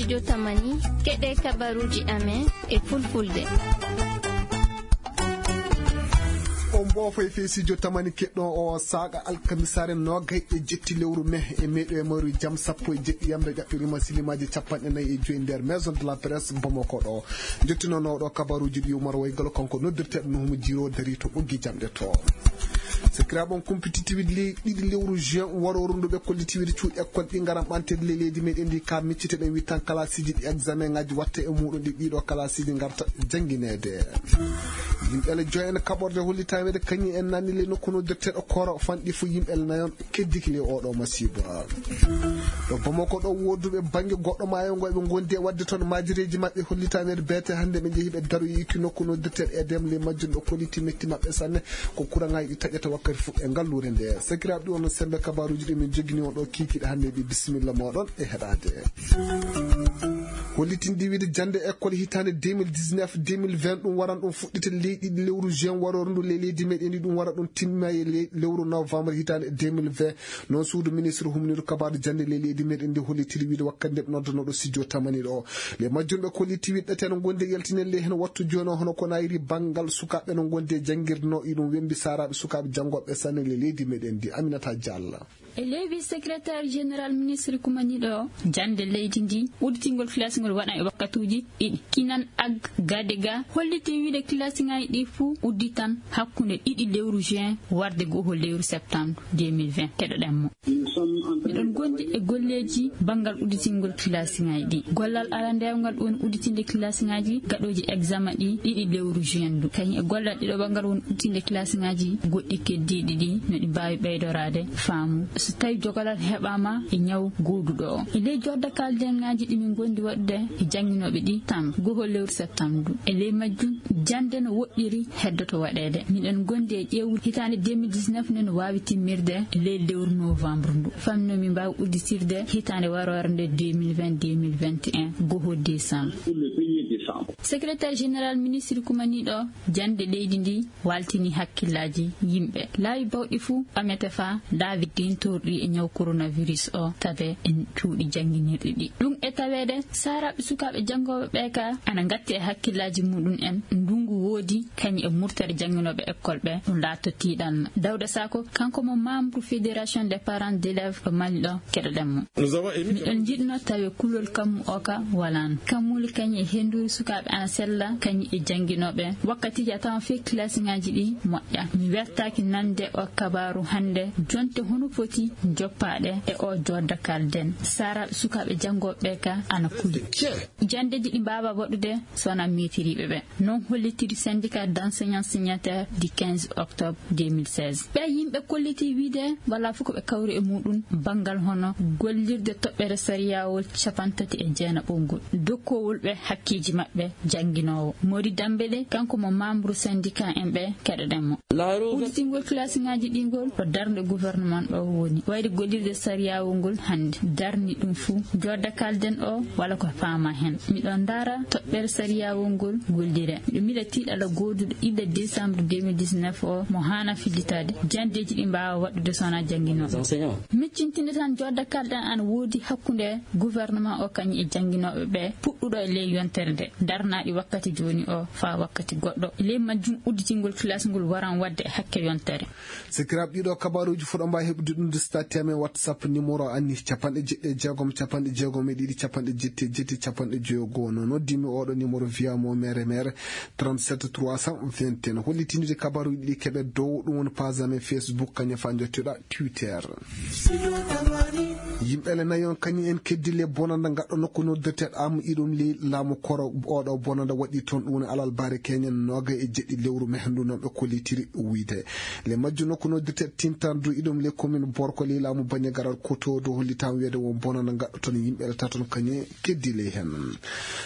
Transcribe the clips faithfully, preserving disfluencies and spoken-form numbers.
Jotamani, keɗe kabaruji amen e fulfulde. On mbofay fe sijo tamani keɗɗo o saga alkamisare nogay e jetti lewru me e meɗo e maru jam sappo e jeɗɗi yamre ƴaɓɓirima silimaji capanɗe nayi e joyi nder maison de la presse Bamako ɗo. Jottinono ɗo kabaruji ɗi Umar Waygalo kanko noddirteɗo no homo jiro dari to ɓoggi jamɗe to. Sakiraɓe on kumpititiwid ley ɗiɗi lewru juin waroru ndu ɓe kollitiwid cuuɗi école ɗi ngaran ɓantede ley leydi meɗen ndi ka micciteɗen wi tan kalasiji ɗi examen ngaji watte e muɗum ɗi ɗiɗo kalasiji ngarta jannginede. Yimɓe le joy en kaɓorde hollitawede kañum en nanni le nokku noddirteɗo koro fanɗi fu yimɓe le nayon keddiki le oɗo masiba. Ɗo Bamako ɗo woduɓe bangge goɗɗo mayo ngo ɓe gondi e wadde toon majireji maɓɓe hollitawede beete hande ɓe jeehi ɓe daroyiki nokku noddirteɗo edem le majjum ɗo kolliti metti maɓɓe sanne. Ko kuraŋaaji ɗi taƴata wakkati fof e ngalluure nde. Sakiraaɓe ɗi wonno sembe kabaruuji ɗi min jogini on ɗo kiikiiɗe hannde ɗi bisimilla mooɗon e heɗaade. Hollitinɗi wiide jannde école hitaande deux mille dix-neuf deux mille vingt ɗum waran ɗum fuɗɗita leyɗi lewru juin waroru ndu le leydi meɗen ndi ɗum wara ɗum timma e le- lewru novembre hitaande deux mille vingt. Noon suudu ministre humniiɗo kabaaru jannde le leydi meɗen ndi hollitiri wiide wakkati nde ɓe noddanooɗo studio tamani ɗo le majjum ɓe kolliti wiɗɗateno gonde yaltinen le heno wattu jooni o hono ko nayiri banngal sukaaɓe no gonde janngirde no iɗum wembi saaraaɓe sukaaɓe janngooɓe sanne le leydi meɗen ndi aminata dialla. E leewi secrétaire général ministre kumaniiɗo jannde leydi ndi udditingol classe ngol waɗan e wakkatuuji ɗiɗi kinan ag gadega holliti wiide classe ngaji ɗi fuu udditan hakkunde ɗiɗi lewru juin warde goho lewru septembre deux mille vingt keɗoɗen mo. Miɗon gondi e golleeji banngal udditingol kilasiŋaaji ɗi. Gollal arandeewo ngal woni udditinde kilasiŋaaji gaɗooji examen ɗi ɗiɗi lewru juin ndu. Kañum e gollal ɗiɗo banngal woni udditinde kilasiŋaaji goɗɗi keddiiɗi ɗi no ɗi mbaawi ɓeydoraade faamu so tawi jogalal heɓaama e ñaw gooduɗo o. E ley jodda kaldenŋaaji ɗi min ngondi waɗude e jannginooɓe ɗi tan goho lewru septembre ndu. E ley majjum jannde no woɗɗiri heddoto waɗeede. Miɗen gondi e ƴeewude hitaande deux mille dix-neuf nde no waawi timmirde ley lewru novembre ndu. Fammi no min mbaawi udditirde hitaande waroore nde deux mille vingt, deux mille vingt et un, goho décembre. Secrétaire général ministre kumaniiɗo jannde leydi ndi waaltini hakkillaaji yimɓe. Laawi bawɗi fuu ɓamete faa laawi dentorɗi e ñaw coronavirus o tabe e cuuɗi jannginirɗi ɗi. Ɗum e taweede saaraaɓe sukaaɓe janngooɓe ɓe ka ana ngatti e hakkillaaji muɗum en. Ndungu woodi kañum e murtere jannginooɓe école ɓe ɗum laatto tiiɗal. Dawda Sako kanko mo membre fédération des parents d'élèves ɗo Mali ɗo keɗoɗen mo. Miɗon njiɗno tawe kulol kammu o ka walaan. Kammuli kañum e henduuri sukaaɓe ana sella kañum e jannginooɓe. Wakkatiiji a tawan fii kilasiŋaaji ɗi moƴƴa. Mi wertaaki nande o kabaaru hannde jonte hono foti joppaaɗe e o jodda kalden. Saaraaɓe sukaaɓe janngooɓe ɓe ka ana kuli. Janndeeji ɗi mbaawa waɗude so wonaa metiriiɓe ɓe. Noon hollitiri syndicat d'enseignants signataire du quinze octobre deux mille seize. Ɓe yimɓe kolliti wiide walla fof ko ɓe kawri e muɗum banngal hono gollirde toɓɓere sariyawol capantati e jeenaɓo ngol dokkowol ɓe hakkeeji maɓɓe jannginoowo. Mori Dambele kanko mo membre syndicat en ɓe keɗoɗen mo. Udditingol kilasiŋaaji ɗi ngol ko darnde gouvernement ɗo woni wayde gollirde sariyawol ngol hannde darni ɗum fuu jodda kalden o walla ko faama heen. Miɗo ndaara toɓɓere sariyawol ngol gollire. Miɗo miila tiiɗalla gooduɗo ɗiɗi décembre deux mille dix-neuf o mo haana fillitaade janndeeji ɗi mbaawa waɗude so wonaa jannginooɓe. Miccintinde tan jodda kalden ana woodi hakkunde gouvernement o kañum e jannginooɓe ɓe puɗɗuɗo e ley yontere nde darnaaɗi wakkati jooni o faa wakkati goɗɗo. E ley majjum udditingol kilasi ngol waran waɗde e hakke yontere. Sikiraaɓe ɗiɗo kabaruuji fof ɗo mbaawi heɓude ɗum nde stati amen WhatsApp numéro anni capanɗe jeɗɗi e jeegom capanɗe jeegom e ɗiɗi capanɗe jetti e jetti capanɗe joyi e goo. Noon noddimi oɗo numéro via mo mere mere trente-sept trois cent vingt et un. Hollitinde kabaruuji ɗi keɓe dow ɗum woni page amen Facebook kañum faa njottiɗa Twitter. Yimɓe le nayon kañum en keddi le bonanda gaɗɗo nokku noddirteɗo am iɗum li laamu koro oɗo bonanda waɗi toon ɗum woni alal bare keñen noga e jeɗɗi lewru mehndu noon ɓe kollitiri wiyde le majju nokku noddirteɗo tintandu iɗum le commune borko li laamu bañagaral kotodo hollitam wiyede won bonanda gaɗɗo toon yimɓe le taton kañum keddi ley heen.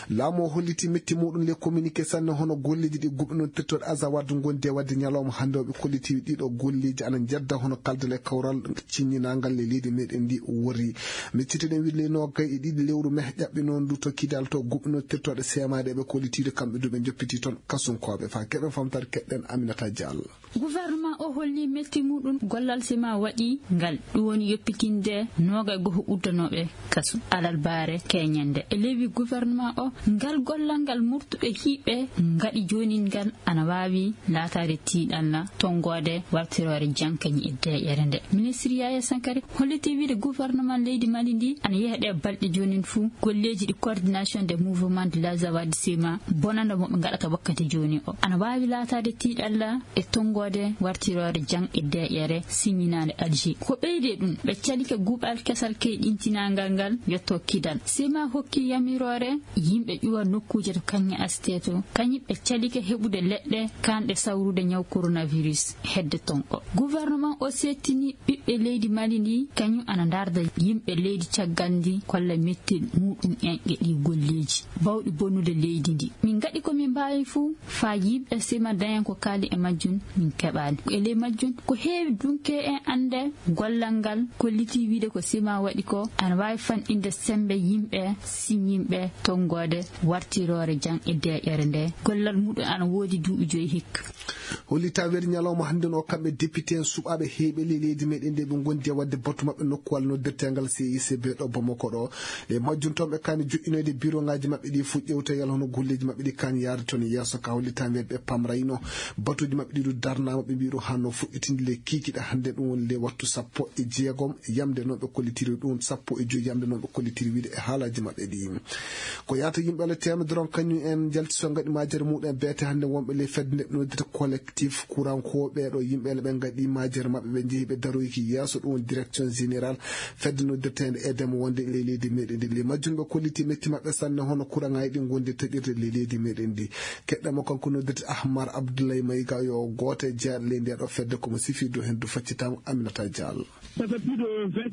Laamu o holliti metti muɗum le communiqué sanne hono golleeji ɗi guɓɓinontirtoɗe aza wadde gondi e wadde ñalawma hannde o ɓe kolliti ɗiɗo golleeji ana njedda hono kalde le kawral ciññinangal le leydi meɗen ndi worri. Micciteɗen wiɗle nogay e ɗiɗi lewru meh ƴaɓɓi noon ndu to kidal to guɓɓinontirtoɗe semaade ɓe kollitiiɗo kamɓe du ɓe joppiti toon kasunkooɓe fa keɓen famtare keɗɗen aminata diallo. Gouvernement O holli metti muɗum gollal sima waɗi ngal, ɗum woni yoppitinde noogay goho uddanooɓe kasu alalbaare keñende. E lewi gouvernement o, ngal gollal ngal murtuɓe hiɓe ngaɗi jonin ngal ana waawi laataade tiiɗalla tongoode wartiroore jankañi e deeƴere nde. Ministre Yaya Sankari holliti wiide gouvernement leydi Mali ndi ana yeeɗe balɗe jonin fuu golleeji ɗi coordination de mouvement de la Zawadi sima bonanda mo ɓe ngaɗata wakkati joni o ana waawi laataade tiiɗalla e tongoode wartiroore jang e deeƴere siññinaande Alger. Ko ɓeyde ɗum, ɓe calike guuɓal kesal keyɗintinangal ngal yetto kidal. Sima hokki yamiroore yimɓe ƴuwa nokkuuje to kaŋŋe aste to, kañum ɓe calike heɓude leɗɗe kanɗe sawrude ñaw coronavirus hedde ton o. Gouvernement o settini ɓiɓɓe leydi Mali ndi, kañum ana ndarda yimɓe leydi caggal ndi kolla metti muɗum en e ɗi golleeji bawɗi bonude leydi ndi. Min ngaɗi ko min mbaawi fuu faa yimɓe sima dañan ko kaali e majjum min keɓaani. E ley majjum ko heewi dunke en annde gollal ngal kolliti wiide ko sima waɗi ko ana waawi fanɗinde sembe yimɓe siññinɓe tongoode wartiroore jang e deeƴere nde gollal muɗum ana woodi duuɓi joyi hikka. Holli taweede ñalawma hannden o kamɓe député en suɓaaɓe heewɓe ley leydi meɗen nde ɓe ngondi e waɗde batu maɓɓe nokkuwal noddirteengal C I C B ɗo Bamako ɗo. E majjum toon ɓe kaani joƴƴinoyde biroŋaaji maɓɓe ɗi fof ƴewta yalla hono golleeji maɓɓe ɗi kaani yahde toon yeeso ka holli taweede ɓe pamrayno batuuji maɓɓe ɗi ɗum darnaama ɓe mbi ɗum hanno fuɗɗitinde le kiikiɗe hannde ɗum woni le wattu sappo e jeegom yamde noon ɓe kollitiri ɗum sappo e joyi yamde noon ɓe kollitiri wiide e haalaaji maɓɓe ɗi. Ko yahata yimɓe ale teemedere on kañum en njalti so ngaɗi majere muɗum e beete hannde wonɓe ley fedde nde ɓe noddita collectif courant ko ɓeeɗo yimɓe ale ɓe ngaɗi majere maɓɓe ɓe njehi ɓe daroyki yeeso ɗum woni direction générale fedde noddirteende edem wonde ley leydi meɗen ndi ley majjum ɓe kolliti metti maɓɓe sanne hono courant aji ɗi gondi taƴirde ley leydi meɗen ndi. Keɗɗamo kanko noddirte Ahmar Abdoulaye Mayga yo gooto e jeeɗa ley nde ɗo fedde komo sifi dow hen du faccitango Aminata Diallo.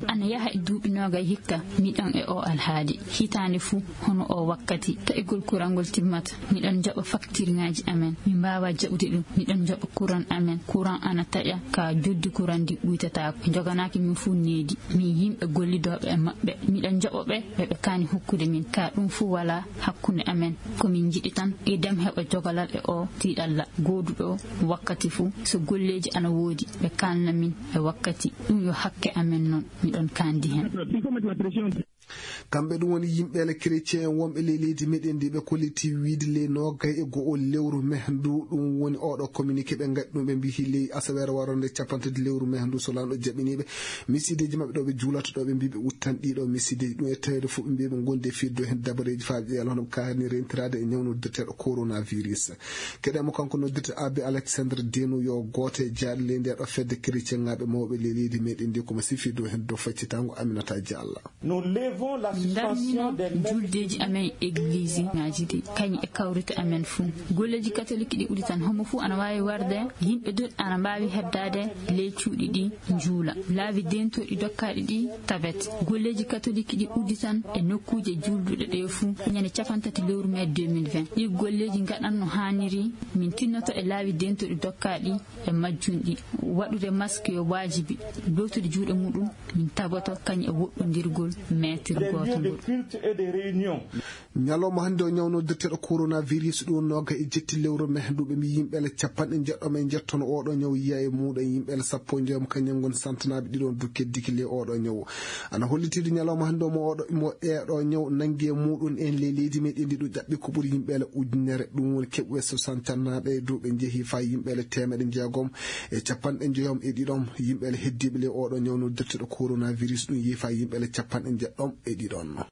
Ana yaha e duuɓi noogay hikka miɗon e o alhaali. Hitaande fuu hono o wakkati taƴgol kurangol timmata, miɗon jaɓa faktirŋaaji amen, mi mbaawa jaɓude ɗum. Miɗon jaɓa kuran amen, kuran ana taƴa ka joddi kuran ndi ɓuytataako. Njoganaaki min fuu needi, min yimɓe gollidooɓe e maɓɓe. Miɗon jaɓa ɓe, ɓe ɓe kaani hokkude min. Ka ɗum fuu walaa hakkunde amen. Ko min njiɗi tan edem heɓa jogalal e o tiiɗalla gooduɗo wakkati fuu. So golleeji ana woodi, ɓe kaalna min e wakkati. Ɗum yo hakke amen non, miɗon kaandi hen. Kamɓe ɗum woni yimɓe le chrétien en wonɓe ley leydi meɗen ndi ɓe kolliti wiide ley noogay e go'o lewru meh ndu ɗum woni oɗo communiqué ɓe ngaɗi ɗum ɓe mbi ley asaweere waro nde capantati lewru meh ndu so lanɗo jaɓiniɓe misideji maɓɓe ɗo ɓe juulata ɗo ɓe mbi ɓe uttan ɗiɗo misideji ɗum e tawede fof ɓe mbi ɓe gondi e firdo hen dabareji faaɓe ƴeela hono kaani rentirade e ñaw noddirteɗo coronavirus. Keɗemo kanko noddirte Abbé Alexandre Deno yo gooto e jaaɗe ley nde ɗo fedde chrétien ŋaaɓe mawɓe ley leydi meɗen ndi komo sifi dow hen dow faccitango Aminata Diallo. Min darnino juldeeji amen e eglise ŋaaji ɗi kañum e kawrite amen fuu. Golleeji katolik ɗi udditan homo fuu ana waawi warde yimɓe dun ana mbaawi heddaade ley cuuɗi ɗi njuula. Laabi dentoɗi dokkaaɗi ɗi tabet. Golleeji katolik ɗi udditan e nokkuuje juulduɗe ɗe fuu ñande capantati lewru mai deux mille vingt. Ɗi golleeji ngaɗan no haaniri. Min tinnoto e laabi dentoɗi dokkaaɗi e majjum ɗi. Waɗude mask yo waajibi. Lootude juuɗe muɗum min taboto kañum e woɗɗondirgol meetir gooto ngol. Ñalawma hannde o ñaw noddirteeɗo coronavirus ɗum noga e jetti lewru meh ndu ɓe mbi yimɓe le capanɗe njeɗɗo men jettono oɗo ñaw yiya e muɗum yimɓe le sappo e joyam kañum ngon santanaaɓe ɗiɗon du keddiki le oɗo ñaw. Ana hollitide ñalawma hannde o mo oɗo mo eɗo ñaw nangi e muɗum en le leydi meɗen ndi ɗum ƴaɓɓi ko ɓuri yimɓe le ujunere ɗum woni keɓuɓe so santanaaɓe du ɓe njehi fa yimɓe le teemeɗe jeegom e capanɗe joyam e ɗiɗon yimɓe le heddiɓe le oɗo ñaw noddirteeɗo coronavirus ɗum yehi fa yimɓe le capanɗe jeɗɗon e ɗiɗon.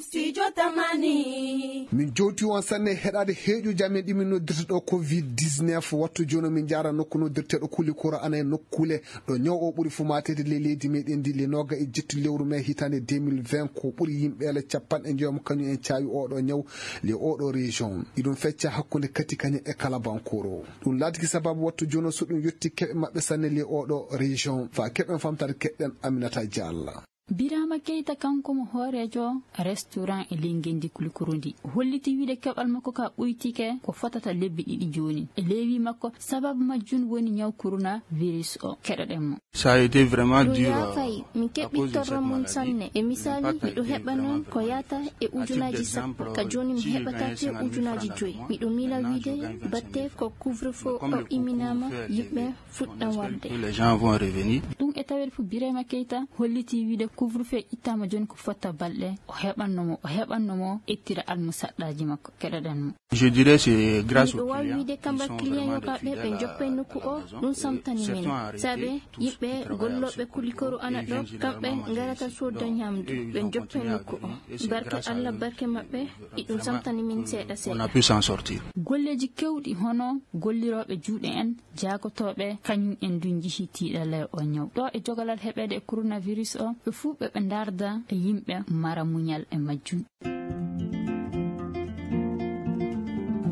Studio Tamani. Min jowti on sanne heɗade heeƴuji amen ɗi min noddirta ɗo covid dix-neuf. Wattu jono min jara nokku noddirteɗo Kulikoro ana e nokkule ɗo ñaw o ɓuri fu matede le leydi meɗen ndi le noga e jettu lewru mai hitande deux mille vingt ko ɓuri yimɓe le capanɗe joyam kañum en caawi oɗo ñaw le oɗo région. Iɗum fecca hakkunde Kati Kañe e Kalabankoro. Ɗum laatiki sababu wattu jono so ɗum yetti keɓe maɓɓe sanne le oɗo région. Fa keɓen famtare keɗɗen Aminata Diallo. Birama Keita, kanko mo hooreejo restaurant e ley ngenndi Kulikoro ndi, holliti wiyde keɓal makko ka ɓuytike ko fotata lebbi ɗiɗi jooni. E ley wii makko, sababu majjum woni ñaw coronavirus o. Keɗoɗen mo. Ça a été vraiment dur. Ɗum yaafayi, min keɓɓi torra mum sanne. E misaali, miɗo heɓa noon ko yaata e ujunaaji sappo. Ka jooni mi heɓata te ujunaaji joyi. Miɗo miila wiyde batte ko couvre-feu o imminaama, yimɓe fuɗɗan warde. Les gens vont revenir. Ɗum e taweede fof, Birama Keita hollitii wiyde couvre-feu ittaama jooni ko fota balɗe. O heɓanno mo, o heɓanno mo ettira almusaɗɗaaji makko. Keɗoɗen mo. Je dirais c'est grâce aux clients. Miɗo waawi wiyde kamba client yogaaɓe ɓe njoppe nokku o, ɗum samtani min. Saabe yimɓe gollooɓe Kulikoro ana ɗo, kamɓe ngarata sooda ñamdu, ɓe njoppe nokku o. Barke Allah, barke maɓɓe, iɗum samtani min seeɗa seeɗa. On a pu s'en sortir. Golleeji kewɗi hono gollirooɓe juuɗe en, jaagotooɓe, kañum en du njihii tiiɗalla e o ñaw. Ɗo e jogalal heɓeede e coronavirus o, ɓe fuu ɓe ɓe ndaarda e yimɓe mara muñal e majjum.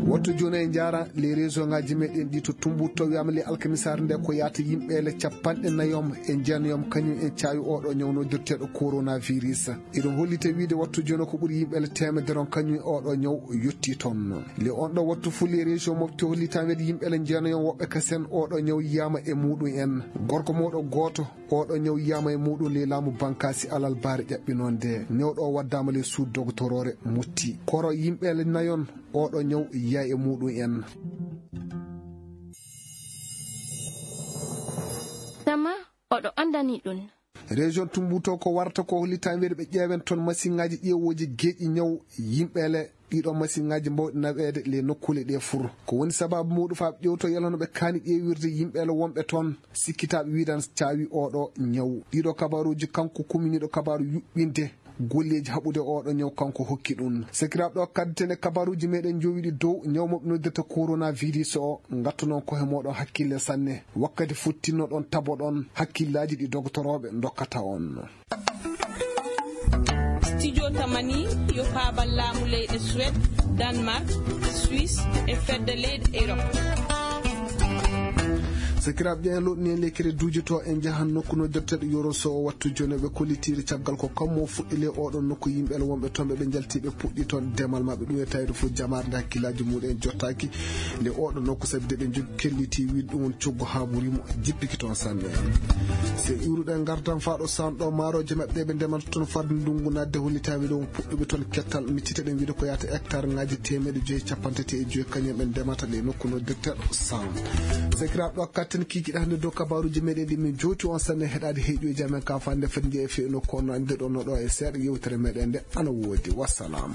Wattu jooni e njaara les région ngaji meɗen ɗi to Tumbutu, to wiyaama le alkamisaare nde ko yaata yimɓeele capanɗe nayom e jeenayom kañum en caawi oɗo ñaw noddirteeɗo coronavirus. Eɗum hollita wiide wattu jooni ko ɓuri yimɓeele teemedere on kañum e oɗo ñaw yotti toon. Le on ɗo wattu fuu les région mofti hollita wiide yimɓeele jeenayom woɓɓe kasen oɗo ñaw yiyaama e muɗum en. Gorko mawɗo gooto oɗo ñaw yiyaama e muɗum le laamu bankaasi alal baare ƴaɓɓinonde. Ñawɗo o waddaama le suud dogotoroore mutti. Koro yimɓeele nayon oɗo ñaw yiya e muɗum en. Tama oɗo anndani ɗum. Région Tumbutu ko warata ko hollita wiide ɓe ƴeewen toon masiŋaaji ƴeewooji geeƴi ñaw yimɓeele. Ɗiɗo masiŋaaji mbawɗi naweede le nokkuule ɗe fur. Ko woni sababu muɗum faa ɓe ƴeewto yalano ɓe kaani ƴeewirde yimɓeele wonɓe toon sikkitaaɓe wiidan caawi oɗo ñaw. Ɗiɗo kabaruuji kanko kuminiiɗo kabaaru yuɓɓinde golleeji haɓude oɗo ñaw kanko hokki ɗum. Sakiraaɓe ɗo kadditen e kabaruuji meɗen jowiɗi dow ñaw mo ɓe noddirta coronavirus o, ngattu noon kohe moɗon hakkille sanne. Wakkati futtinnoɗon taboɗon hakkillaaji ɗi dogotoroɓe dokkata on. Studio Tamani yo paabal laamu leyɗe Suède, Danemark, Suisse e fedde leyɗe Europe. Sakiraaɓe ƴeewen loɗni en lekkere duujoto en njahan nokku noddirteeɗo Yoro Sow o wattu jooni ɓe kollitiire caggal ko kammo fuɗɗi le oɗon nokku yimɓe wonɓe toon ɓe ɓe njalti ɓe puɗɗi toon demal maɓɓe ɗum e tawde fof jamaare nde hakkillaaji muɗum en jottaaki le oɗon nokku sabi de ɓe njogi kelliti wiide ɗum woni coggu haa ɓuri mo. Jippiki toon sanne. So iwruɗen ngartan faa ɗo sanɗo maarooje maɓɓe ɗe ɓe ndemata toon fadde ndunngu naatde, hollitaama ɗo puɗɗuɓe toon kettal, miccitaɗen wiide ko yaata hectare ngaaji teemeɗɗe joyi cappanɗe tati e joyi kañum ɓe ndemata ɗe nokku noddirteeɗo Sam. Sakiraaɓe ɗo katten kiikiɗe hannde dow kabaaruuji meɗen ɗi min jooti on sanne heɗaade heeƴuuji amen ka fande fedde e feewi nokku on annde ɗo no ɗo e seeɗa yewtere meɗen nde ana woodi. Wassalam.